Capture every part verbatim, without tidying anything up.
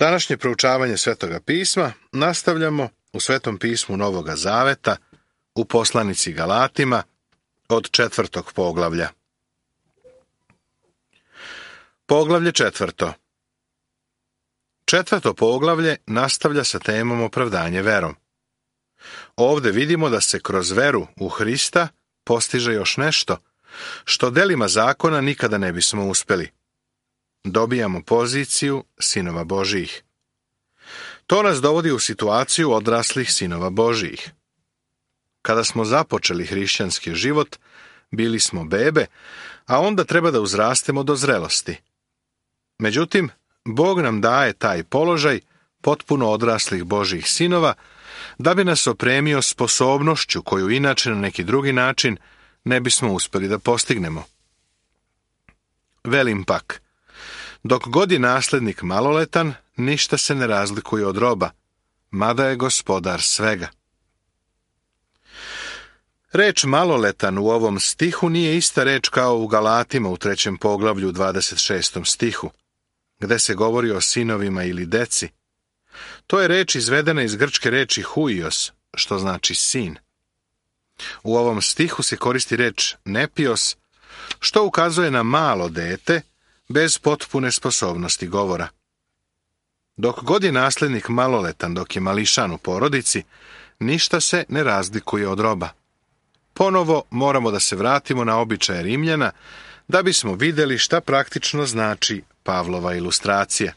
Današnje proučavanje Svetoga pisma nastavljamo u Svetom pismu Novoga Zaveta, u poslanici Galatima, od četvrtog poglavlja. Poglavlje četvrto. Četvrto poglavlje nastavlja sa temom opravdanje verom. Ovde vidimo da se kroz veru u Hrista postiže još nešto, što delima zakona nikada ne bismo uspeli. Dobijamo poziciju sinova Božijih. To nas dovodi u situaciju odraslih sinova Božijih. Kada smo započeli hrišćanski život, bili smo bebe, a onda treba da uzrastemo do zrelosti. Međutim, Bog nam daje taj položaj potpuno odraslih Božjih sinova, da bi nas opremio sposobnošću koju inače na neki drugi način ne bismo uspjeli da postignemo. Velim pak, dok god je naslednik maloletan, ništa se ne razlikuje od roba, mada je gospodar svega. Reč maloletan u ovom stihu nije ista reč kao u Galatima u trećem poglavlju u dvadeset šestom stihu, gde se govori o sinovima ili deci. To je reč izvedena iz grčke reči huios, što znači sin. U ovom stihu se koristi reč nepios, što ukazuje na malo dete, bez potpune sposobnosti govora. Dok god je naslednik maloletan, dok je mališan u porodici, ništa se ne razlikuje od roba. Ponovo moramo da se vratimo na običaje Rimljana, da bismo vidjeli šta praktično znači Pavlova ilustracija.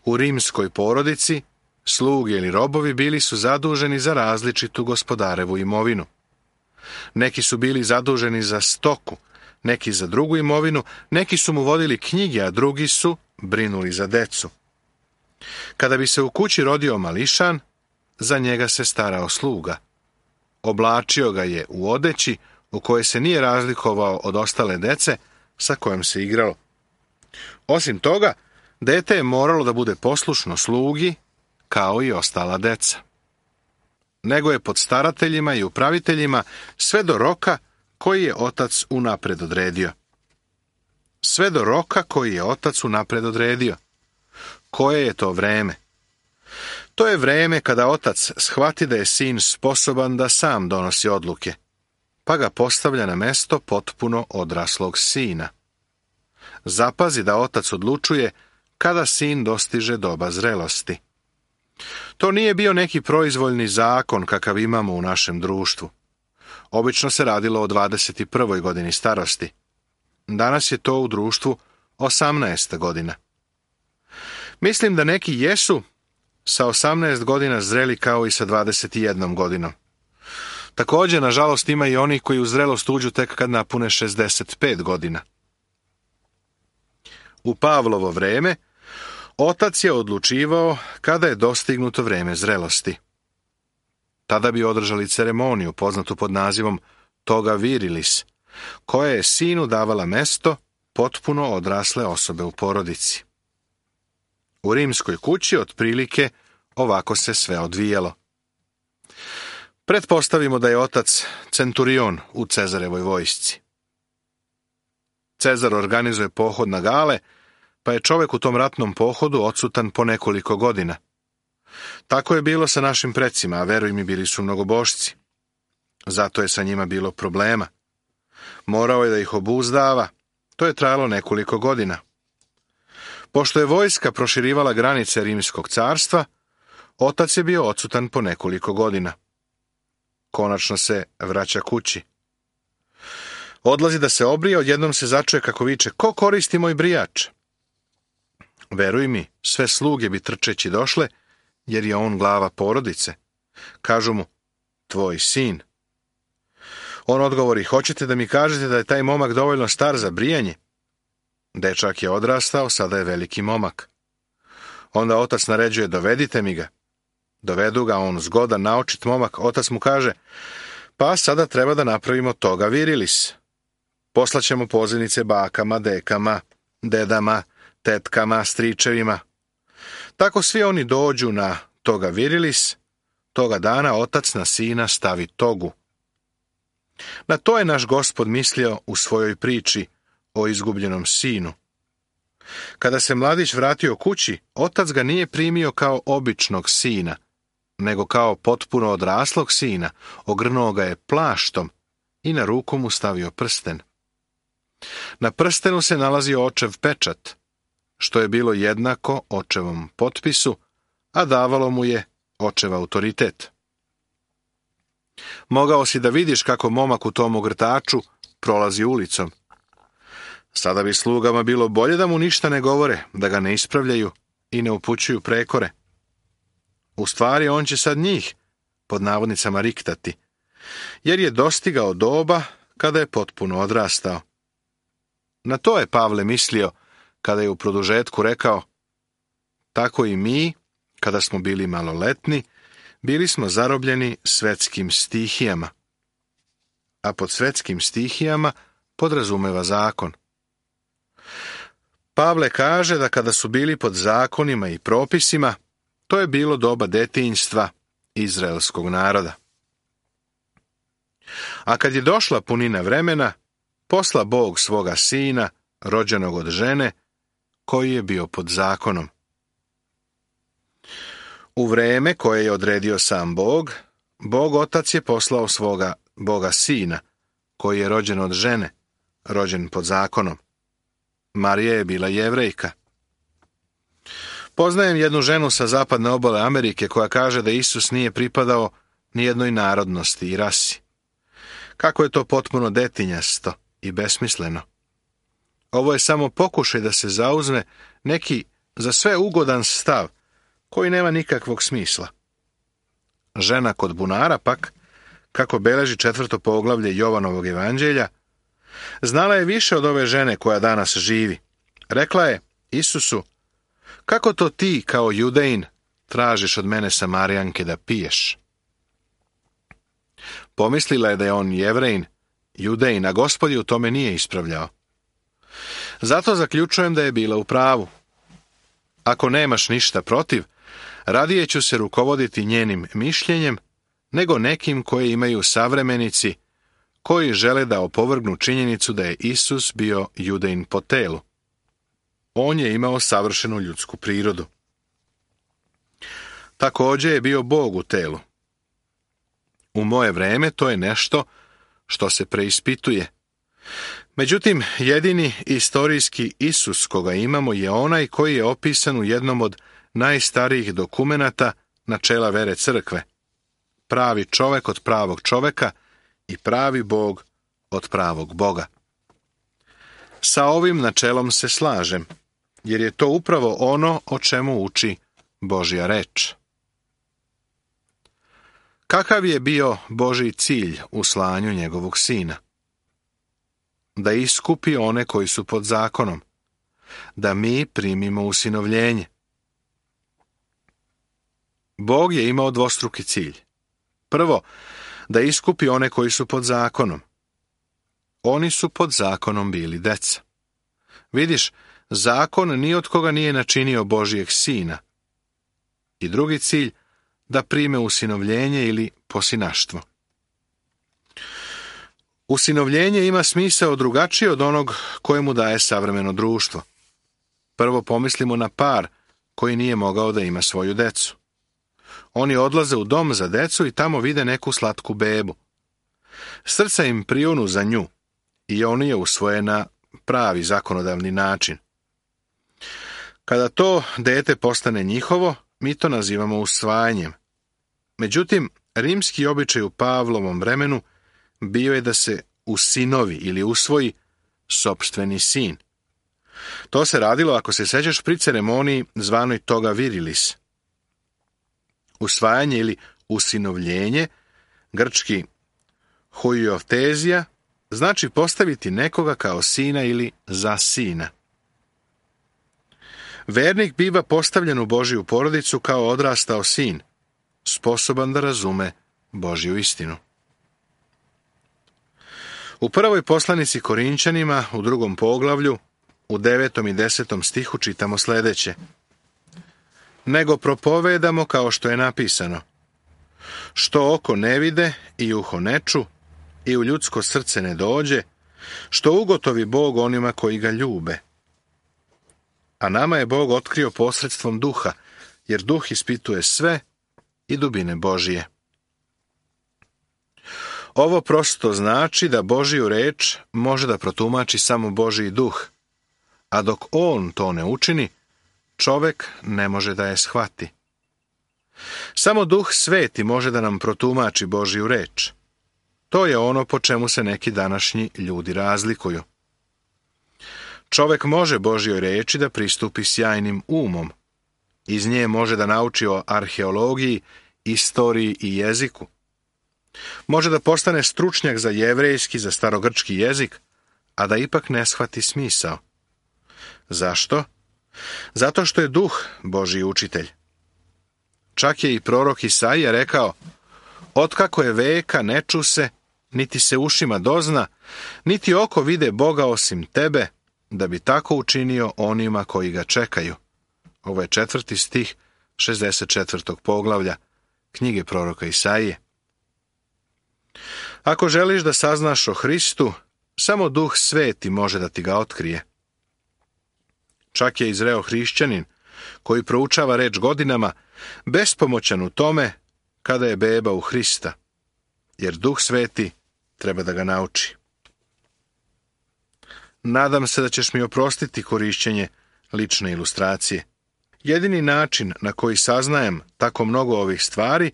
U rimskoj porodici, sluge ili robovi bili su zaduženi za različitu gospodarevu imovinu. Neki su bili zaduženi za stoku, neki za drugu imovinu, neki su mu vodili knjige, a drugi su brinuli za decu. Kada bi se u kući rodio mališan, za njega se starao sluga. Oblačio ga je u odeći u kojoj se nije razlikovao od ostale dece sa kojom se igralo. Osim toga, dete je moralo da bude poslušno slugi, kao i ostala deca. Nego je pod starateljima i upraviteljima sve do roka koji je otac unapred odredio. Sve do roka koji je otac unapred odredio. Koje je to vreme? To je vreme kada otac shvati da je sin sposoban da sam donosi odluke, pa ga postavlja na mesto potpuno odraslog sina. Zapazi da otac odlučuje kada sin dostiže doba zrelosti. To nije bio neki proizvoljni zakon kakav imamo u našem društvu. Obično se radilo o dvadeset prvoj godini starosti. Danas je to u društvu osamnaesta godina. Mislim da neki jesu sa osamnaest godina zreli kao i sa dvadeset jednom godinom. Također, nažalost, ima i oni koji u zrelost uđu tek kad napune šezdeset pet godina. U Pavlovo vreme, otac je odlučivao kada je dostignuto vreme zrelosti. Tada bi održali ceremoniju poznatu pod nazivom toga virilis, koja je sinu davala mesto potpuno odrasle osobe u porodici. U rimskoj kući otprilike ovako se sve odvijalo. Pretpostavimo da je otac centurion u Cezarevoj vojsci. Cezar organizuje pohod na Gale, pa je čovjek u tom ratnom pohodu odsutan po nekoliko godina. Tako je bilo sa našim precima, a veruj mi, bili su mnogobošci. Zato je sa njima bilo problema. Morao je da ih obuzdava. To je trajalo nekoliko godina. Pošto je vojska proširivala granice Rimskog carstva, otac je bio odsutan po nekoliko godina. Konačno se vraća kući. Odlazi da se obrije, odjednom se začuje kako viče: ko koristi moj brijač? Veruj mi, sve sluge bi trčeći došle, jer je on glava porodice. Kažu mu: tvoj sin. On odgovori: hoćete da mi kažete da je taj momak dovoljno star za brijanje? Dečak je odrastao, sada je veliki momak. Onda otac naređuje: dovedite mi ga. Dovedu ga, on zgodan, naočit momak. Otac mu kaže: pa sada treba da napravimo toga virilis. Poslaćemo pozivnice bakama, dekama, dedama, tetkama, stričevima. Tako svi oni dođu na toga virilis. Toga dana otac na sina stavi togu. Na to je naš Gospod mislio u svojoj priči o izgubljenom sinu. Kada se mladić vratio kući, otac ga nije primio kao običnog sina, nego kao potpuno odraslog sina, ogrnuo ga je plaštom i na ruku mu stavio prsten. Na prstenu se nalazio očev pečat, što je bilo jednako očevom potpisu, a davalo mu je očev autoritet. Mogao si da vidiš kako momak u tom ogrtaču prolazi ulicom. Sada bi slugama bilo bolje da mu ništa ne govore, da ga ne ispravljaju i ne upućuju prekore. U stvari on će sad njih, pod navodnicama, riktati, jer je dostigao doba kada je potpuno odrastao. Na to je Pavle mislio kada je u produžetku rekao: tako i mi, kada smo bili maloletni, bili smo zarobljeni svetskim stihijama. A pod svetskim stihijama podrazumeva zakon. Pavle kaže da kada su bili pod zakonima i propisima, to je bilo doba detinjstva izraelskog naroda. A kad je došla punina vremena, posla Bog svoga sina, rođenog od žene, koji je bio pod zakonom. U vreme koje je odredio sam Bog, Bog Otac je poslao svoga Boga sina, koji je rođen od žene, rođen pod zakonom. Marija je bila Jevrejka. Poznajem jednu ženu sa zapadne obale Amerike koja kaže da Isus nije pripadao ni jednoj narodnosti i rasi. Kako je to potpuno detinjasto i besmisleno. Ovo je samo pokušaj da se zauzme neki za sve ugodan stav koji nema nikakvog smisla. Žena kod bunara pak, kako beleži četvrto poglavlje Jovanovog evanđelja, znala je više od ove žene koja danas živi. Rekla je Isusu: kako to ti, kao Judejin, tražiš od mene Samarijanke da piješ? Pomislila je da je on Jevrejin, Judejin, a Gospod je u tome nije ispravljao. Zato zaključujem da je bila u pravu. Ako nemaš ništa protiv, radije ću se rukovoditi njenim mišljenjem, nego nekim koje imaju savremenici, koji žele da opovrgnu činjenicu da je Isus bio Judejin po telu. On je imao savršenu ljudsku prirodu. Također je bio Bog u telu. U moje vreme to je nešto što se preispituje. Međutim, jedini istorijski Isus koga imamo je onaj koji je opisan u jednom od najstarijih dokumenata načela vere crkve. Pravi čovek od pravog čoveka i pravi Bog od pravog Boga. Sa ovim načelom se slažem, jer je to upravo ono o čemu uči Božja reč. Kakav je bio Božji cilj u slanju njegovog sina? Da iskupi one koji su pod zakonom, da mi primimo usinovljenje. Bog je imao dvostruki cilj. Prvo, da iskupi one koji su pod zakonom. Oni su pod zakonom bili deca. Vidiš, zakon ni od koga nije načinio Božijeg sina. I drugi cilj, da prime usinovljenje ili posinaštvo. Usinovljenje ima smisao drugačiji od onog kojemu daje savremeno društvo. Prvo pomislimo na par koji nije mogao da ima svoju decu. Oni odlaze u dom za decu i tamo vide neku slatku bebu. Srca im prijunu za nju i oni je usvoje na pravi zakonodavni način. Kada to dete postane njihovo, mi to nazivamo usvajanjem. Međutim, rimski običaj u Pavlovom vremenu bio je da se usinovi ili usvoji sopstveni sin. To se radilo, ako se sećaš, pri ceremoniji zvanoj toga virilis. Usvajanje ili usinovljenje, grčki huioftezija, znači postaviti nekoga kao sina ili za sina. Vernik biva postavljen u Božju porodicu kao odrastao sin, sposoban da razume Božju istinu. U prvoj poslanici Korinčanima, u drugom poglavlju, u devetom i desetom stihu čitamo sljedeće: nego propovedamo kao što je napisano, što oko ne vide i uho ne ču i u ljudsko srce ne dođe, što ugotovi Bog onima koji ga ljube. a nama je Bog otkrio posredstvom duha, jer duh ispituje sve i dubine Božije. Ovo prosto znači da Božiju reč može da protumači samo Božiji duh, a dok on to ne učini, čovek ne može da je shvati. Samo Duh Sveti može da nam protumači Božiju reč. To je ono po čemu se neki današnji ljudi razlikuju. Čovek može Božjoj reči da pristupi sjajnim umom. Iz nje može da nauči o arheologiji, istoriji i jeziku. Može da postane stručnjak za jevrejski, za starogrčki jezik, a da ipak ne shvati smisao. Zašto? Zato što je Duh Božji učitelj. Čak je i prorok Isaija rekao: otkako je veka ne ču se, niti se ušima dozna, niti oko vide Boga osim tebe, da bi tako učinio onima koji ga čekaju. Ovo je četvrti stih šezdeset četvrtog poglavlja knjige proroka Isaije. Ako želiš da saznaš o Hristu, samo Duh Sveti može da ti ga otkrije. Čak je i zreo hrišćanin, koji proučava reč godinama, bespomoćan u tome kada je beba u Hrista, jer Duh Sveti treba da ga nauči. Nadam se da ćeš mi oprostiti korišćenje lične ilustracije. Jedini način na koji saznajem tako mnogo ovih stvari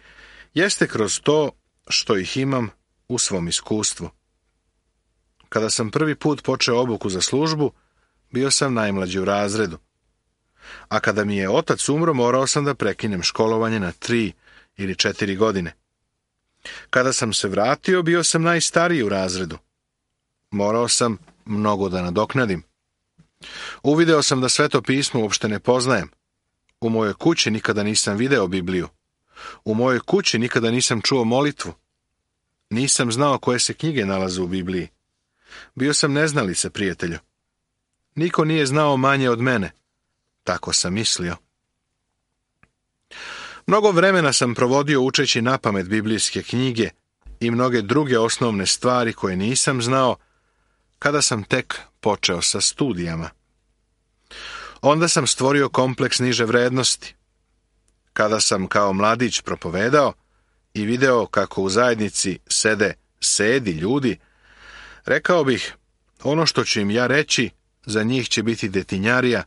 jeste kroz to što ih imam u svom iskustvu. Kada sam prvi put počeo obuku za službu, bio sam najmlađi u razredu. A kada mi je otac umro, morao sam da prekinem školovanje na tri ili četiri godine. Kada sam se vratio, bio sam najstariji u razredu. Morao sam mnogo da nadoknadim. Uvideo sam da Sveto pismo uopšte ne poznajem. U mojoj kući nikada nisam video Bibliju. U mojoj kući nikada nisam čuo molitvu. Nisam znao koje se knjige nalaze u Bibliji. Bio sam neznalica, prijatelju. Niko nije znao manje od mene. Tako sam mislio. Mnogo vremena sam provodio učeći napamet biblijske knjige i mnoge druge osnovne stvari koje nisam znao kada sam tek počeo sa studijama. Onda sam stvorio kompleks niže vrednosti. Kada sam kao mladić propovedao i video kako u zajednici sede sedi ljudi, rekao bih, ono što ću im ja reći, za njih će biti detinjarija,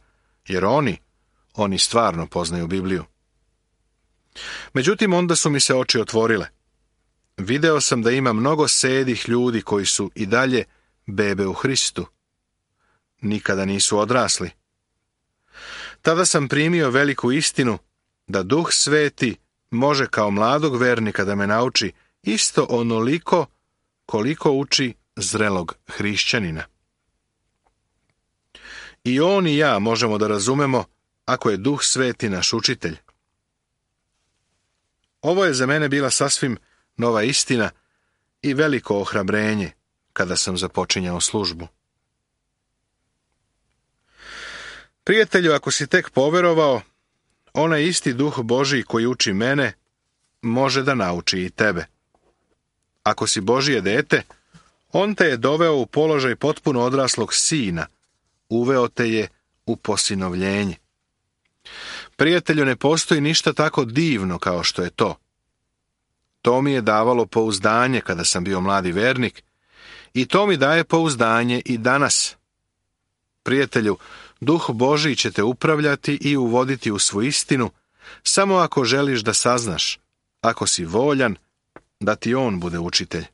jer oni, oni stvarno poznaju Bibliju. Međutim, onda su mi se oči otvorile. Video sam da ima mnogo sedih ljudi koji su i dalje bebe u Hristu. Nikada nisu odrasli. Tada sam primio veliku istinu da Duh Sveti može kao mladog vernika da me nauči isto onoliko koliko uči zrelog hrišćanina. I on i ja možemo da razumemo ako je Duh Sveti naš učitelj. Ovo je za mene bila sasvim nova istina i veliko ohrabrenje kada sam započinjao službu. Prijatelju, ako si tek poverovao, onaj isti Duh Božji koji uči mene, može da nauči i tebe. Ako si Božje dete, on te je doveo u položaj potpuno odraslog sina, uveo te je u posinovljenje. Prijatelju, ne postoji ništa tako divno kao što je to. To mi je davalo pouzdanje kada sam bio mladi vernik i to mi daje pouzdanje i danas. Prijatelju, Duh Božji će te upravljati i uvoditi u svu istinu, samo ako želiš da saznaš, ako si voljan, da ti on bude učitelj.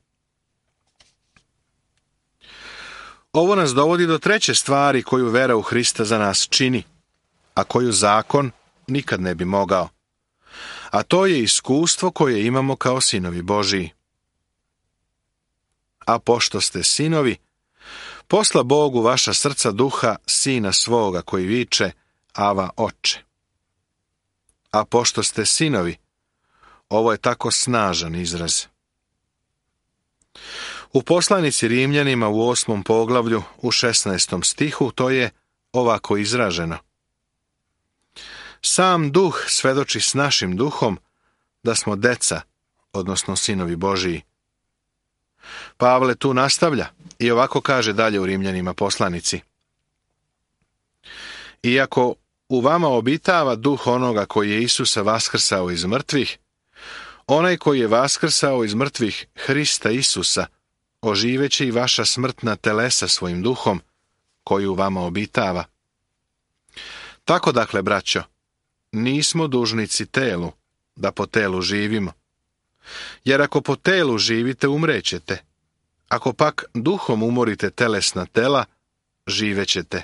Ovo nas dovodi do treće stvari koju vera u Hrista za nas čini, a koju zakon nikad ne bi mogao. A to je iskustvo koje imamo kao sinovi Božiji. A pošto ste sinovi, posla Bogu vaša srca duha sina svoga koji viče, Ava, Oče. A pošto ste sinovi, ovo je tako snažan izraz. U poslanici Rimljanima u osmom poglavlju u šesnaestom stihu to je ovako izraženo. Sam duh svedoči s našim duhom da smo deca, odnosno sinovi Božiji. Pavle tu nastavlja i ovako kaže dalje u Rimljanima poslanici. Iako u vama obitava duh onoga koji je Isusa vaskrsao iz mrtvih, onaj koji je vaskrsao iz mrtvih Hrista Isusa, oživeće i vaša smrtna telesa svojim duhom, koji u vama obitava. Tako dakle, braćo, nismo dužnici telu, da po telu živimo. Jer ako po telu živite, umrećete. Ako pak duhom umorite telesna tela, živećete.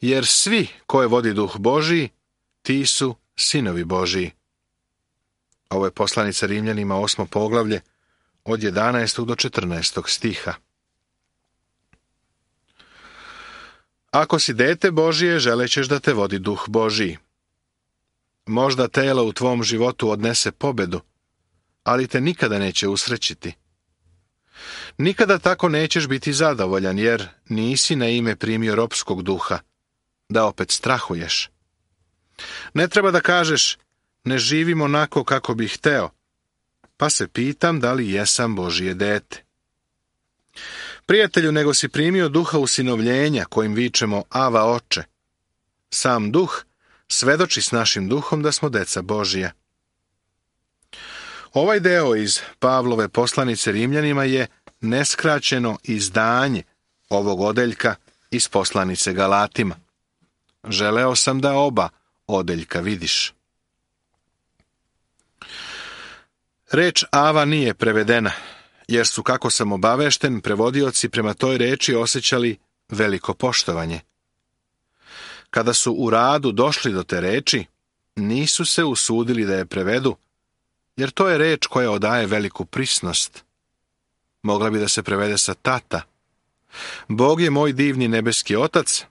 Jer svi koje vodi duh Božiji, ti su sinovi Božiji. Ovo je poslanica Rimljanima, osmo poglavlje, od jedanaestog do četrnaestog stiha. Ako si dete Božije, želećeš da te vodi duh Božiji. Možda telo u tvom životu odnese pobedu, ali te nikada neće usrećiti. Nikada tako nećeš biti zadovoljan, jer nisi na ime primio ropskog duha, da opet strahuješ. Ne treba da kažeš, ne živim onako kako bih hteo, pa se pitam da li jesam Božije dete. Prijatelju, nego si primio duha usinovljenja, kojim vičemo Ava Oče. Sam duh svedoči s našim duhom da smo deca Božija. Ovaj deo iz Pavlove poslanice Rimljanima je neskraćeno izdanje ovog odeljka iz poslanice Galatima. Želeo sam da oba odeljka vidiš. Reč Ava nije prevedena, jer su, kako sam obavešten, prevodioci prema toj reči osjećali veliko poštovanje. Kada su u radu došli do te reči, nisu se usudili da je prevedu, jer to je reč koja odaje veliku prisnost. Mogla bi da se prevede sa tata. Bog je moj divni nebeski otac,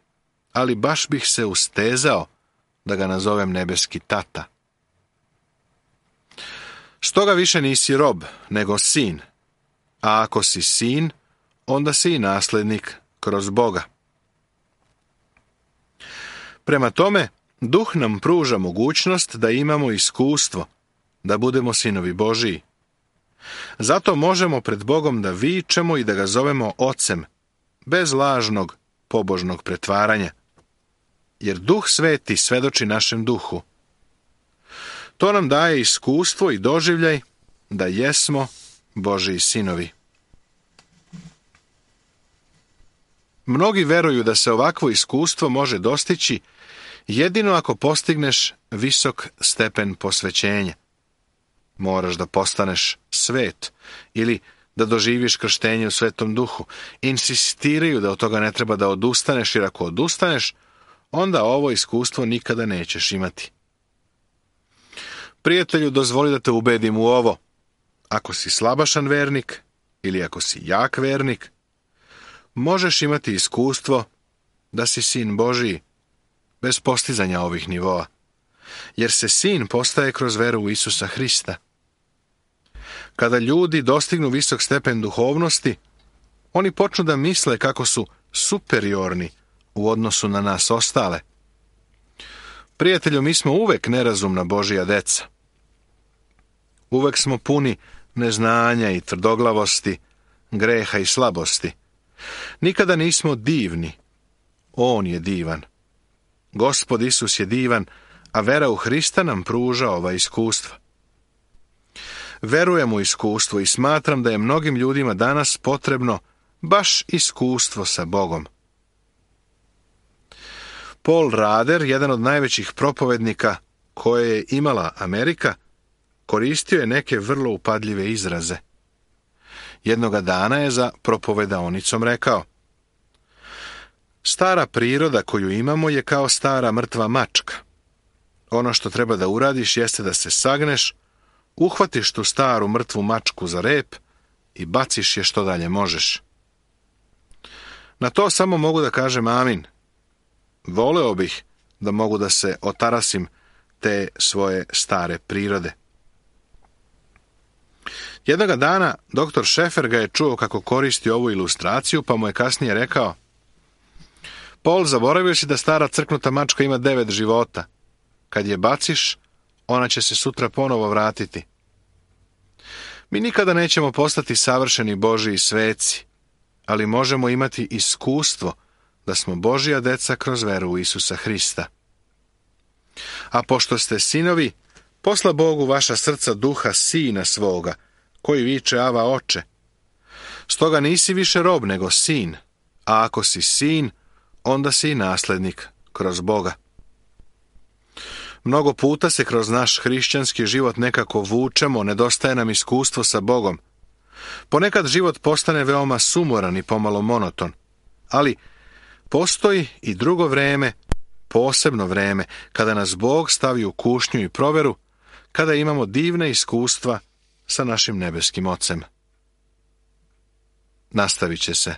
ali baš bih se ustezao da ga nazovem nebeski tata. Stoga više nisi rob, nego sin. A ako si sin, onda si i naslednik kroz Boga. Prema tome, duh nam pruža mogućnost da imamo iskustvo, da budemo sinovi Božiji. Zato možemo pred Bogom da vičemo i da ga zovemo Ocem, bez lažnog, pobožnog pretvaranja. Jer Duh Sveti svedoči našem duhu. To nam daje iskustvo i doživljaj da jesmo Božiji sinovi. Mnogi veruju da se ovakvo iskustvo može dostići jedino ako postigneš visok stepen posvećenja. Moraš da postaneš svet ili da doživiš krštenje u Svetom Duhu. Insistiraju da od toga ne treba da odustaneš, jer ako odustaneš, onda ovo iskustvo nikada nećeš imati. Prijatelju, dozvoli da te ubedim u ovo. Ako si slabašan vernik ili ako si jak vernik, možeš imati iskustvo da si sin Božiji bez postizanja ovih nivoa, jer se sin postaje kroz veru u Isusa Hrista. Kada ljudi dostignu visok stepen duhovnosti, oni počnu da misle kako su superiorni u odnosu na nas ostale. Prijatelju, mi smo uvek nerazumna Božija deca. Uvek smo puni neznanja i tvrdoglavosti, greha i slabosti. Nikada nismo divni. On je divan. Gospod Isus je divan, a vera u Hrista nam pruža ova iskustva. Verujem u iskustvo i smatram da je mnogim ljudima danas potrebno baš iskustvo sa Bogom. Paul Rader, jedan od najvećih propovednika koje je imala Amerika, koristio je neke vrlo upadljive izraze. Jednoga dana je za propovedaonicom rekao: stara priroda koju imamo je kao stara mrtva mačka. Ono što treba da uradiš jeste da se sagneš, uhvatiš tu staru mrtvu mačku za rep i baciš je što dalje možeš. Na to samo mogu da kažem amin. Voleo bih da mogu da se otarasim te svoje stare prirode. Jednoga dana doktor Šefer ga je čuo kako koristi ovu ilustraciju, pa mu je kasnije rekao: Paul, zaboravio si da stara crknuta mačka ima devet života. Kad je baciš, ona će se sutra ponovo vratiti. Mi nikada nećemo postati savršeni Božiji sveci, ali možemo imati iskustvo da smo Božja deca kroz veru u Isusa Hrista. A pošto ste sinovi, posla Bog u vaša srca duha sina svoga, koji viče Ava, oče. Stoga nisi više rob, nego sin, a ako si sin, onda si i naslednik kroz Boga. Mnogo puta se kroz naš hrišćanski život nekako vučemo, nedostaje nam iskustvo sa Bogom. Ponekad život postane veoma sumoran i pomalo monoton, ali postoji i drugo vreme, posebno vreme, kada nas Bog stavi u kušnju i proveru, kada imamo divna iskustva sa našim nebeskim Ocem. Nastavit će se